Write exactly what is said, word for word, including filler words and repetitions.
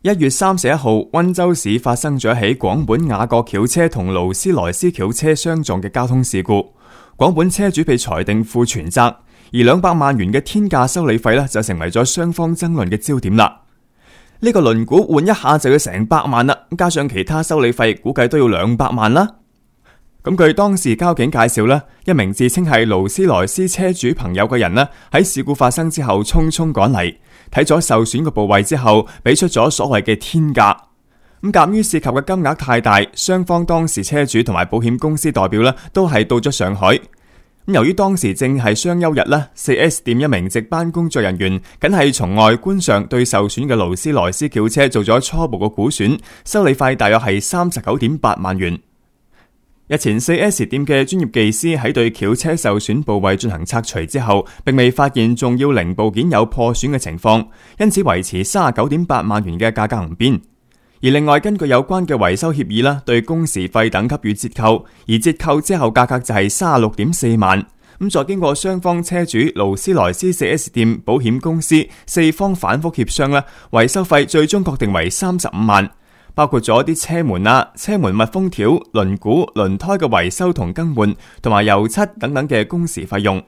一月三十一號，溫州市發生咗一起廣本雅閣轎車同勞斯萊斯轎車相撞嘅交通事故。廣本車主被裁定負全責，而兩百萬元嘅天價修理費呢，就成為咗雙方爭論嘅焦點啦。呢、這個輪毂換一下就要成百萬啦，加上其他修理費，估計都要兩百萬啦。咁據當時交警介紹呢，一名自稱係勞斯萊斯車主朋友嘅人呢，喺事故發生之後匆匆趕嚟，睇咗受損嘅部位之後，俾出咗所謂嘅天價。咁鑑於涉及嘅金額太大，雙方當時車主同埋保險公司代表呢，都係到咗上海。咁由於當時正係雙休日呢， 四 S 店一名值班工作人員僅係從外觀上對受損嘅勞斯萊斯轎車做咗初步嘅估算，修理費大約係三十九點八萬元。日前 四 S 店嘅專業技師喺對轎車受損部位進行拆除之後，並未發現重要零部件有破損嘅情況，因此維持三十九點八萬元嘅價格唔變。而另外根據有關嘅維修協議啦，對工時費等給予折扣，而折扣之後價格就係三十六點四萬。咁再經過雙方車主、勞斯萊斯 四 S 店、保險公司四方反覆協商啦，維修費最終確定為三十五萬。包括咗啲車門啊、車門密封條、輪毂、輪胎嘅維修同更換，同埋油漆等等嘅工時費用。